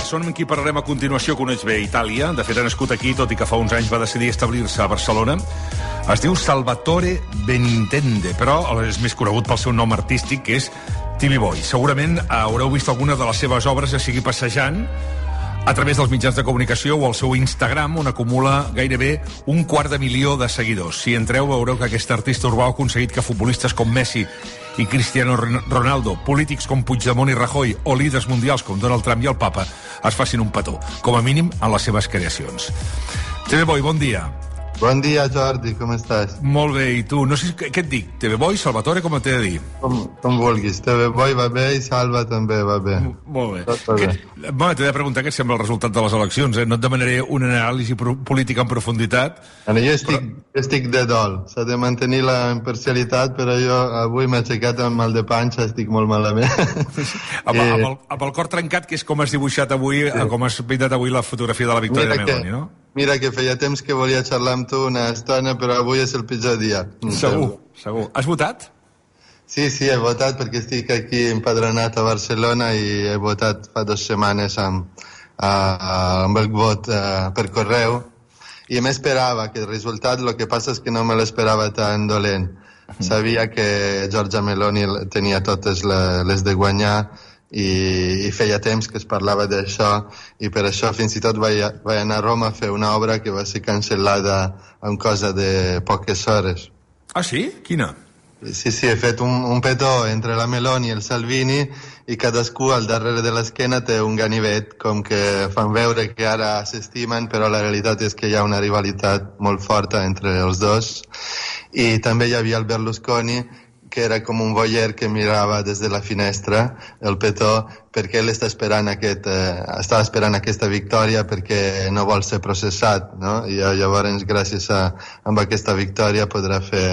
persona amb qui parlarem a continuació coneix bé Itàlia. De fet, ha nascut aquí, tot i que fa uns anys va decidir establir-se a Barcelona. Es diu Salvatore Benintende, però és més conegut pel seu nom artístic, que és Timmy Boy. Segurament haureu vist alguna de les seves obres, ja sigui passejant a través dels mitjans de comunicació o al seu Instagram, on acumula gairebé 250.000 de seguidors. Si entreu, veureu que aquest artista urbà ha aconseguit que futbolistes com Messi i Cristiano Ronaldo, polítics com Puigdemont i Rajoy o líders mundials com Donald Trump i el Papa es facin un petó, com a mínim en les seves creacions. TV Boy, bon dia. Bon dia, Jordi, com estàs? Molt bé, i tu? No sé què et dic, TV Boy, Salvatore, com t'he de dir? Com vulguis, TV Boy va bé i Salva també va bé. Molt bé. Bueno, t'he de preguntar què et sembla el resultat de les eleccions, No et demanaré una anàlisi política en profunditat. Jo estic de dol, s'ha de mantenir la imparcialitat, però jo avui m'he aixecat amb mal de panxa, estic molt malament. Amb el cor trencat, que és com has dibuixat avui, com has pintat avui la fotografia de la victòria de Meloni, no? Mira que feia temps que volia xerrar amb tu una estona, però avui és el pitjor dia. Segur. Has votat? Sí, he votat perquè estic aquí empadronat a Barcelona i he votat fa 2 setmanes amb el vot per correu i m'esperava que el resultat, el que passa és que no me l'esperava tan dolent. Sabia que Giorgia Meloni tenia totes les de guanyar i feia temps que es parlava d'això i per això fins i tot vaig anar a Roma a fer una obra que va ser cancel·lada en cosa de poques hores. Ah, sí? Quina? Sí, he fet un petó entre la Meloni i el Salvini i cadascú al darrere de l'esquena té un ganivet, com que fan veure que ara s'estimen, però la realitat és que hi ha una rivalitat molt forta entre els dos. I també hi havia el Berlusconi, que era com un voyeur que mirava des de la finestra el petó, perquè ell estava esperant aquesta victòria perquè no vol ser processat, no? I llavors, gràcies a aquesta victòria, podrà fer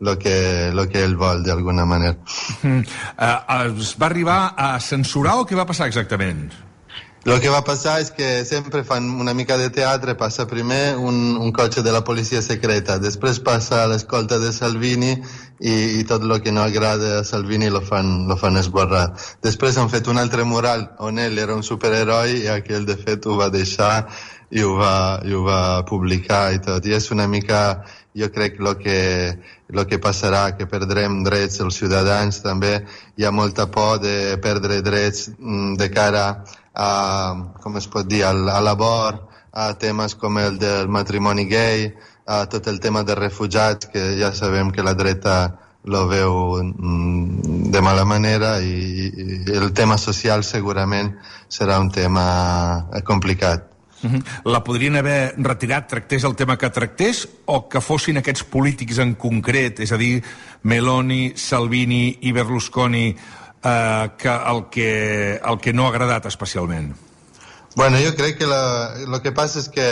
el que ell vol, d'alguna manera. Es va arribar a censurar o què va passar exactament? El que va passar és que sempre fan una mica de teatre, passa primer un cotxe de la policia secreta, després passa l'escolta de Salvini i tot el que no agrada a Salvini lo fan esborrar. Després han fet un altre mural on ell era un superheroi i aquell de fet ho va deixar i ho va publicar i tot. I és una mica, jo crec, el que passarà, que perdrem drets els ciutadans també. Hi ha molta por de perdre drets de cara com es pot dir, a l'abort, a temes com el del matrimoni gay, a tot el tema de refugiats, que ja sabem que la dreta lo veu de mala manera i el tema social segurament serà un tema complicat. La podrien haver retirat, tractés el tema que tractés, o que fossin aquests polítics en concret, és a dir, Meloni, Salvini i Berlusconi, el que no ha agradat especialment? Bueno, jo crec que el que passa és que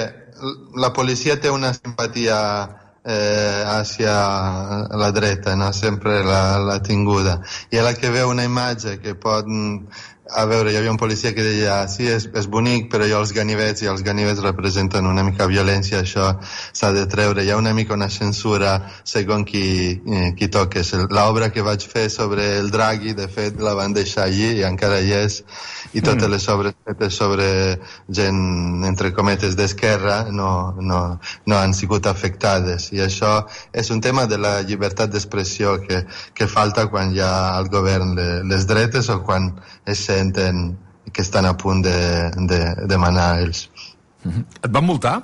la policia té una simpatia hacia la dreta, no? Sempre l'ha tinguda. I a la que veu una imatge que pot... A veure, hi havia un policia que deia sí, és bonic, però jo els ganivets representen una mica violència, això s'ha de treure. Hi ha una mica una censura segons qui toques. L'obra que vaig fer sobre el Draghi, de fet, la van deixar allí i encara hi és, i totes les obres fetes sobre gent, entre cometes, d'esquerra no han sigut afectades. I això és un tema de la llibertat d'expressió que falta quan hi ha al govern les dretes o quan es senten que estan a punt de manar ells. Et van multar?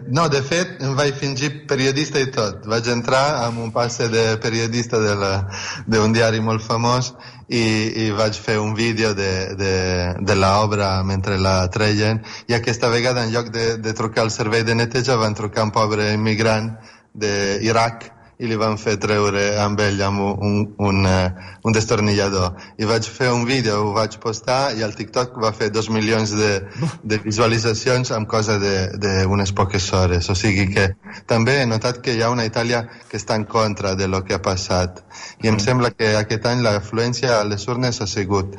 No, de fet, em vaig fingir periodista i tot. Vaig entrar amb un passe de periodista d'un diari molt famós i vaig fer un vídeo de l'obra mentre la treien, i aquesta vegada, en lloc de trucar al servei de neteja, van trucar un pobre immigrant d'Iraq i li van fer treure amb ell amb un destornillador. I vaig fer un vídeo, ho vaig postar, i el TikTok va fer 2 milions de visualitzacions en cosa d'unes poques hores. O sigui que també he notat que hi ha una Itàlia que està en contra de lo que ha passat. I em sembla que aquest any l'afluència a les urnes ha sigut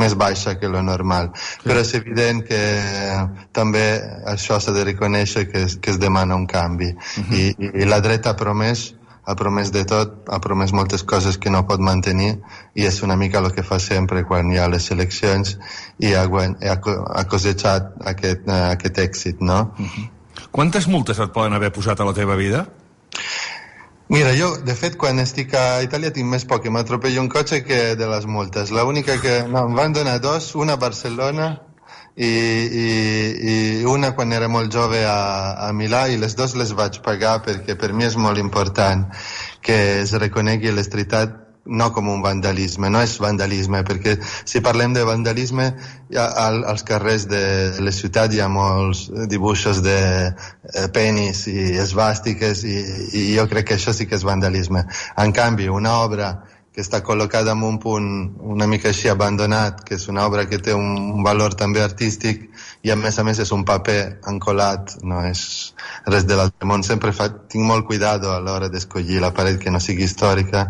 més baixa que lo normal. Però és evident que també això s'ha de reconèixer que es demana un canvi. I la dreta ha promès ha promès de tot, ha promès moltes coses que no pot mantenir, i és una mica el que fa sempre quan hi ha les eleccions, i ha cosechat aquest èxit, no? Quantes multes et poden haver posat a la teva vida? Mira, jo, de fet, quan estic a Itàlia tinc més por que m'atropelli un cotxe que de les multes. L'única que... No, em van donar dos, una a Barcelona i una quan era molt jove a Milà, i les dues les vaig pagar perquè per mi és molt important que es reconegui l'estritat no com un vandalisme, no és vandalisme, perquè si parlem de vandalisme, als carrers de la ciutat hi ha molts dibuixos de penis i esvàstiques, i jo crec que això sí que és vandalisme. En canvi, una obra que està col·locada en un punt una mica així abandonat, que és una obra que té un valor també artístic, i a més és un paper encolat, no és res de l'altre món. Sempre tinc molt cuidado a l'hora d'escollir la paret que no sigui històrica.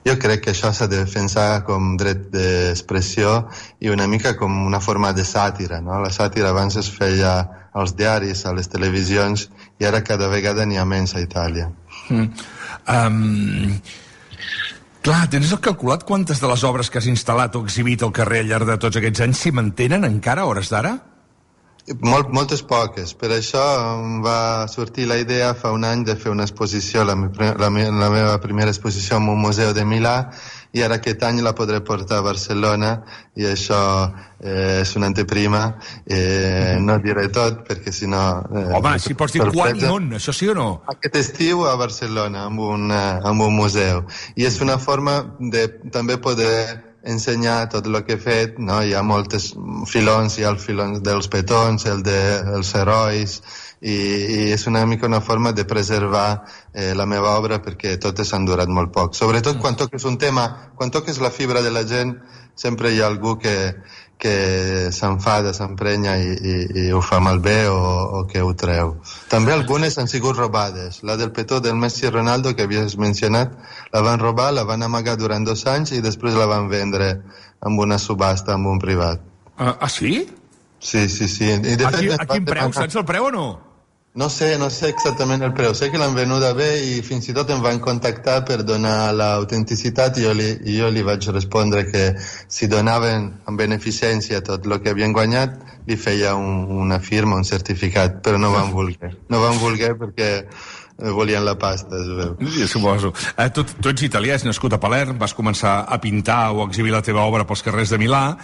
Jo crec que això s'ha de defensar com dret d'expressió i una mica com una forma de sàtira, no? La sàtira abans es feia als diaris, a les televisions, i ara cada vegada n'hi ha menys a Itàlia. Clar, tens calculat quantes de les obres que has instal·lat o exhibit al carrer al llarg de tots aquests anys s'hi mantenen encara a hores d'ara? Moltes poques. Per això em va sortir la idea fa un any de fer una exposició, la meva primera exposició en un museu de Milà, i ara aquest any la podré portar a Barcelona, i això és una anteprima. No diré tot, perquè si no... Home, si pots dir quan i on, això sí o no? Aquest estiu a Barcelona, amb un museu. I és una forma de també poder ensenyar tot el que he fet, no? Hi ha moltes filons, hi ha el filon dels petons, el dels herois, i és una mica una forma de preservar la meva obra, perquè totes han durat molt poc. Sobretot quan toques un tema, quan toques la fibra de la gent, sempre hi ha algú que s'enfada, s'emprenya i ho fa malbé o que ho treu. També algunes han sigut robades. La del petó del Messi i Ronaldo, que havies mencionat, la van robar, la van amagar durant 2 anys i després la van vendre amb una subhasta, amb un privat. Sí? Sí. I de fet, a quin preu? Saps el preu o no? No sé exactament el preu. Sé que l'han venuda bé i fins i tot em van contactar per donar l'autenticitat, i jo li vaig respondre que si donaven en beneficència tot el que havien guanyat, li feia una firma, un certificat, però no van voler. No van voler perquè volien la pasta, es veu. Sí, suposo. Tu ets italià, has nascut a Palerm, vas començar a pintar o a exhibir la teva obra pels carrers de Milà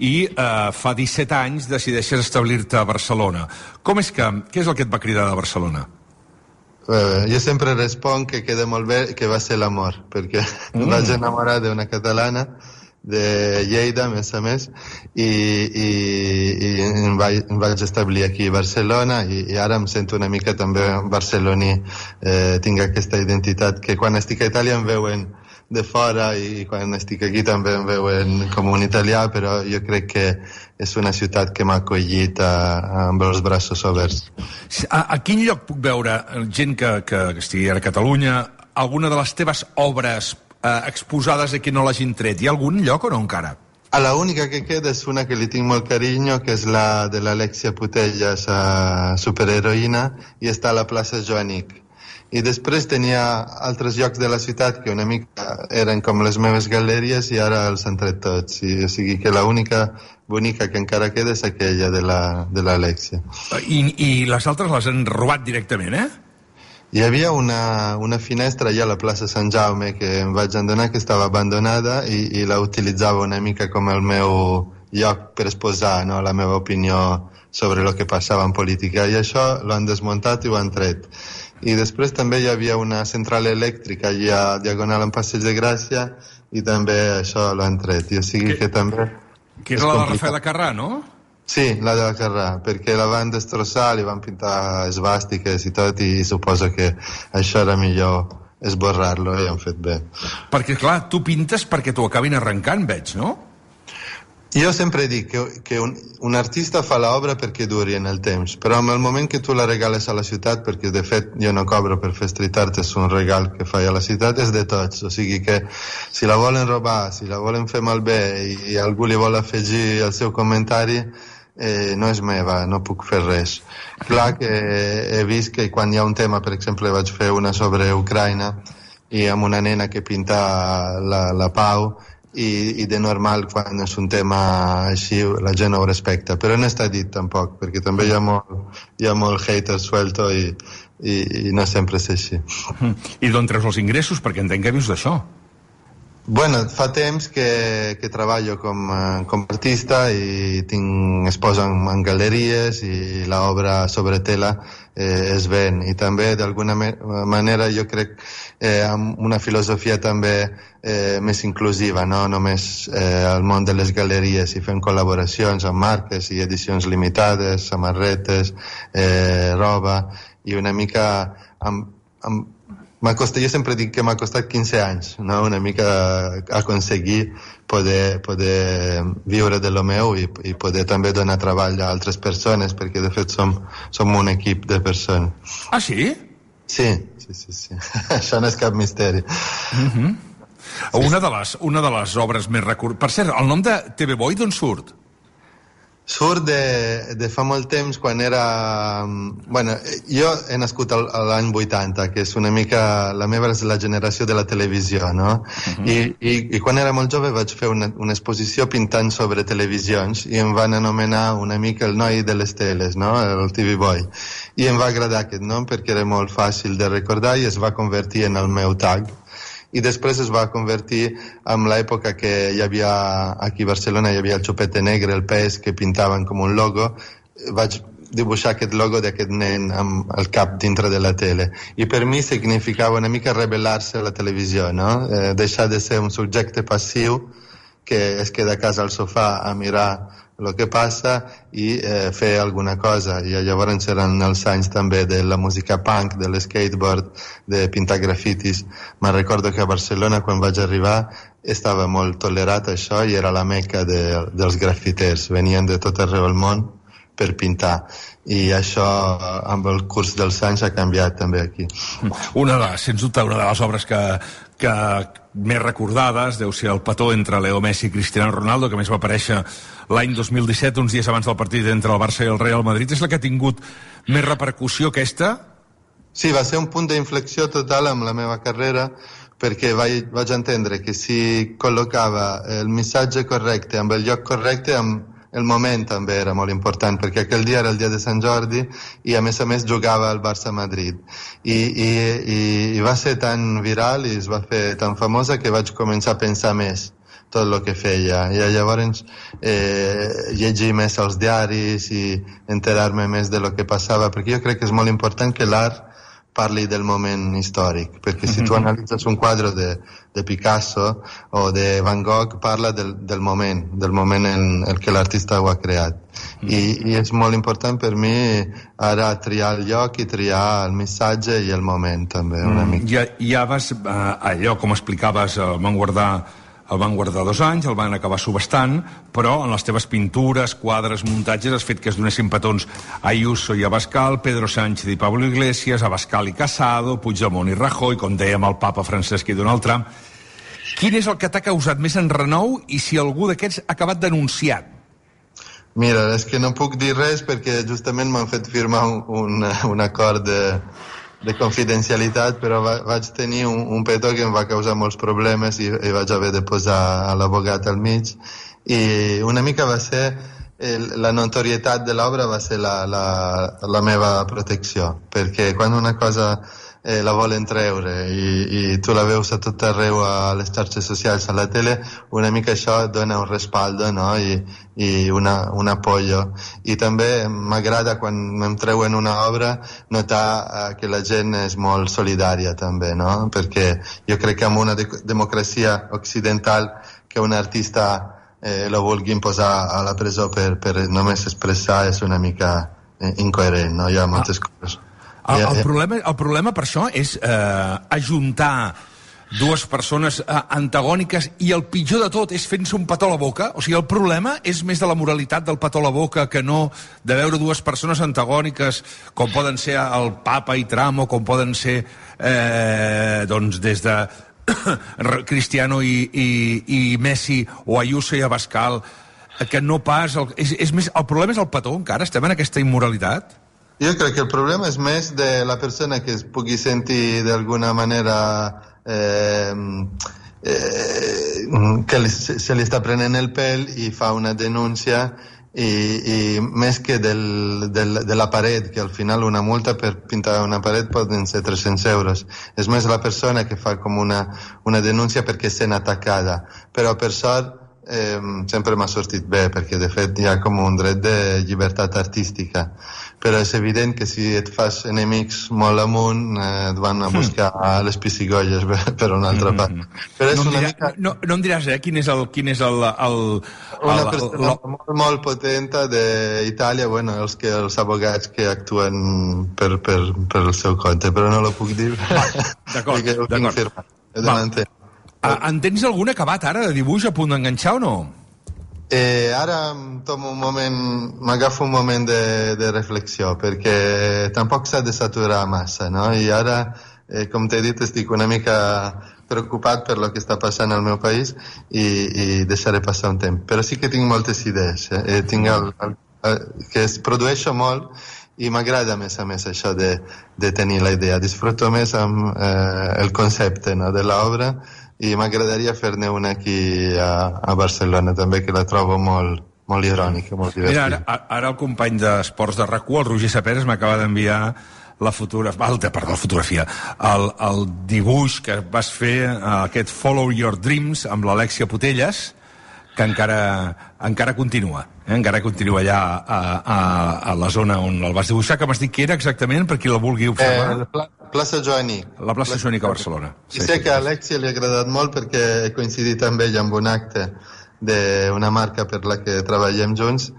i fa 17 anys decideixes establir-te a Barcelona. Què és el que et va cridar de Barcelona? Jo sempre responc que queda molt bé, que va ser l'amor, perquè em vaig enamorar d'una catalana de Lleida, a més, i em vaig establir aquí a Barcelona, i ara em sento una mica també barceloní. Tinc aquesta identitat que quan estic a Itàlia em veuen de fora, i quan estic aquí també em veuen com un italià, però jo crec que és una ciutat que m'ha acollit amb els braços oberts. A quin lloc puc veure gent que estigui ara a Catalunya, alguna de les teves obres exposades a qui no l'hagin tret? Hi ha algun lloc o no encara? A la única que queda és una que li tinc molt carinyo, que és la de l'Alexia Putellas, superheroïna, i està a la plaça Joanic. I després tenia altres llocs de la ciutat que una mica eren com les meves galeries, i ara els han tret tots. O sigui que l'única bonica que encara queda és aquella de l'Alexia. I les altres les han robat directament, Hi havia una finestra allà a la plaça Sant Jaume que em vaig adonar que estava abandonada, i la utilitzava una mica com el meu lloc per exposar, no, la meva opinió sobre el que passava en política, i això l'han desmuntat i ho han tret. I després també hi havia una central elèctrica allà diagonal en Passeig de Gràcia, i també això l'han tret. O sigui que també... Que era la de Rafael Acarrà, no? Sí, la de la Carrà, perquè la van destrossar, li van pintar esvàstiques i tot, i suposo que això era millor esborrar-lo, i han fet bé. Perquè, clar, tu pintes perquè t'ho acabin arrencant, veig, no? Jo sempre dic que un artista fa l'obra perquè duri en el temps, però en el moment que tu la regales a la ciutat, perquè de fet jo no cobro per fer street art, és un regal que faig a la ciutat, és de tots. O sigui que si la volen robar, si la volen fer malbé i algú li vol afegir el seu comentari, no és meva, no puc fer res. Clar que he vist que quan hi ha un tema, per exemple, vaig fer una sobre Ucraïna, i amb una nena que pinta la pau, i de normal quan és un tema així la gent ho respecta, però no està dit tampoc, perquè també hi ha molt hater suelto i no sempre és així. I d'on treus els ingressos? Perquè entenc que vius d'això. Bueno, fa temps que treballo com artista i es posen en galeries i l'obra sobre tela es ven, i també d'alguna manera jo crec amb una filosofia també més inclusiva, no només al món de les galeries, i fem col·laboracions amb marques i edicions limitades, samarretes, roba, i una mica jo sempre dic que m'ha costat 15 anys, no? Una mica aconseguir poder viure de lo meu i poder també donar treball a altres persones, perquè de fet som un equip de persones. Ah, sí? Sí. Això no és cap misteri. Una de les obres més recurrents... Per cert, el nom de TV Boy d'on surt? Surt de fa molt temps, quan era... Bueno, jo he nascut a l'any 80, que és una mica... La meva és la generació de la televisió, no? I quan era molt jove vaig fer una exposició pintant sobre televisions i em van anomenar una mica el noi de les teles, no? El TV Boy. I em va agradar aquest nom perquè era molt fàcil de recordar i es va convertir en el meu tag. I després es va convertir en l'època que hi havia aquí a Barcelona, hi havia el Xupete Negre, el pes, que pintaven com un logo. Vaig dibuixar aquest logo d'aquest nen amb el cap dintre de la tele, i per mi significava una mica rebel·lar-se a la televisió, no? Deixar de ser un subjecte passiu que es queda a casa al sofà a mirar el que passa i fer alguna cosa. I llavors eren els anys també de la música punk, de l'skateboard, de pintar grafitis. Me'n recordo que a Barcelona, quan vaig arribar, estava molt tolerat això i era la meca dels grafiters. Venien de tot arreu del món per pintar. I això, amb el curs dels anys, ha canviat també aquí. Sens dubte, una de les obres que més recordades deu ser el petó entre Leo Messi i Cristiano Ronaldo, que més va aparèixer l'any 2017, uns dies abans del partit entre el Barça i el Real Madrid. És la que ha tingut més repercussió, aquesta? Sí, va ser un punt d'inflexió total amb la meva carrera, perquè vaig entendre que si col·locava el missatge correcte amb el lloc correcte, el moment també era molt important, perquè aquell dia era el dia de Sant Jordi i a més jugava al Barça-Madrid i va ser tan viral i es va fer tan famosa que vaig començar a pensar més tot el que feia, i llavors llegir més els diaris i enterar-me més de lo que passava, perquè jo crec que és molt important que l'art parli del moment històric, perquè si tu analitzes un quadre de Picasso o de Van Gogh, parla del moment en el que l'artista ho ha creat. I és molt important per mi ara triar el lloc i triar el missatge i el moment també, una mica. Ja vas, allò com explicaves, el van guardar 2 anys, el van acabar subestant, però en les teves pintures, quadres, muntatges has fet que es donessin petons a Ayuso i Abascal, Pedro Sánchez i Pablo Iglesias, Abascal i Casado, Puigdemont i Rajoy, com dèiem, el papa Francesc i Donald Trump. Quin és el que t'ha causat més enrenou i si algú d'aquests ha acabat denunciat? Mira, és que no puc dir res perquè justament m'han fet firmar un acord de confidencialitat, però vaig tenir un petó que em va causar molts problemes i vaig haver de posar l'abogat al mig, i una mica va ser la notorietat de l'obra va ser la meva protecció, perquè quan una cosa la volen treure i tu la veus a tot arreu a les xarxes socials, a la tele, una mica això dona un respaldo, no? I un apoyo. I també m'agrada quan em treuen una obra notar que la gent és molt solidària també, no? Perquè jo crec que en una democràcia occidental que un artista lo vulguin posar a la presó per només expressar és una mica incoherent, no? Hi ha moltes coses. El problema per això és ajuntar dues persones antagòniques, i el pitjor de tot és fent-se un petó a la boca. O sigui, el problema és més de la moralitat del petó a la boca que no de veure dues persones antagòniques com poden ser el Papa i Trump, o com poden ser doncs des de Cristiano i Messi, o Ayuso i Abascal, que no pas... El problema és el petó encara? Estem en aquesta immoralitat? Jo crec que el problema és més de la persona que es pugui sentir d'alguna manera que se li està prenent el pèl i fa una denúncia i més que de la paret, que al final una multa per pintar una paret poden ser 300 euros. És més la persona que fa com una denúncia perquè sent atacada. Però per sort sempre m'ha sortit bé, perquè de fet hi ha com un dret de llibertat artística. Però és evident que si et fas enemics molt amunt et van a buscar a les piscigolles per una altra part. Però és no em diràs, quin és el una persona molt potenta d'Itàlia, bueno, els abogats que actuen per el seu compte, però no lo puc dir. D'acord. En tens algun acabat ara de dibuix a punt d'enganxar o no? Ara m'agafo un moment de reflexió, perquè tampoc s'ha de saturar massa, no? I ara, com t'he dit, estic una mica preocupat per lo que està passant al meu país i deixaré passar un temps. Però sí que tinc moltes idees, que es produeixo molt i m'agrada més a més això de tenir la idea. Disfruto més amb el concepte, no, de l'obra, i m'agradaria fer-ne una aquí a Barcelona també, que la trobo molt irònica, molt divertida. Mira, ara el company d'Esports de RAC1, el Roger Saperes, m'acaba d'enviar la fotografia, el dibuix que vas fer, aquest Follow Your Dreams, amb l'Alexia Putelles, que encara continua. Encara continua allà a la zona on el vas dibuixar, que m'has dit que era exactament, per qui la vulgui observar. Plaça Joanic. La plaça Joanic a Barcelona. I sé que a Alexia li ha agradat molt perquè he coincidit amb ell amb un acte d'una marca per la que treballem junts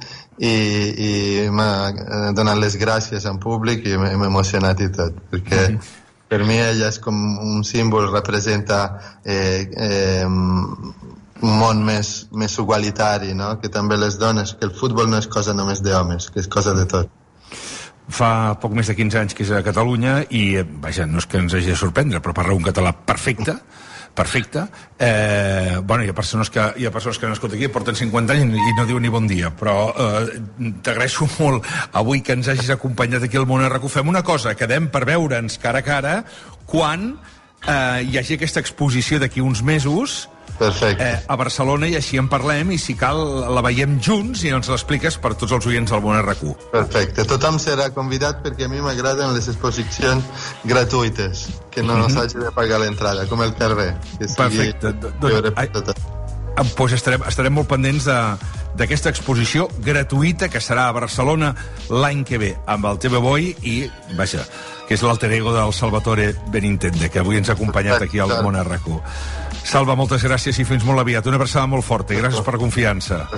i m'ha donat les gràcies en públic i m'he emocionat i tot, perquè per mi ella és com un símbol, representa un món més igualitari, no? Que també les dones, que el futbol no és cosa només d'homes, que és cosa de tot. Fa poc més de 15 anys que és a Catalunya i, vaja, no és que ens hagi de sorprendre, però parla un català perfecte. Bueno, hi ha persones que han nascut aquí, porten 50 anys i no diuen ni bon dia, però t'agraeixo molt avui que ens hagis acompanyat aquí al Món RAC1. Fem una cosa, quedem per veure'ns cara a cara quan hi hagi aquesta exposició d'aquí uns mesos. Perfecte. A Barcelona, i així en parlem, i si cal la veiem junts i ens l'expliques per tots els oients del Món RAC1. Perfecte, tothom serà convidat perquè a mi m'agraden les exposicions gratuïtes, que no s'hagi de pagar l'entrada, com el carrer. Perfecte. Doncs estarem molt pendents d'aquesta exposició gratuïta que serà a Barcelona l'any que ve amb el TV Boy i, vaja, que és l'alter ego del Salvatore Benintende, que avui ens ha acompanyat aquí al Món RAC1. Salva, moltes gràcies i fins molt aviat. Una abraçada molt forta i gràcies per la confiança.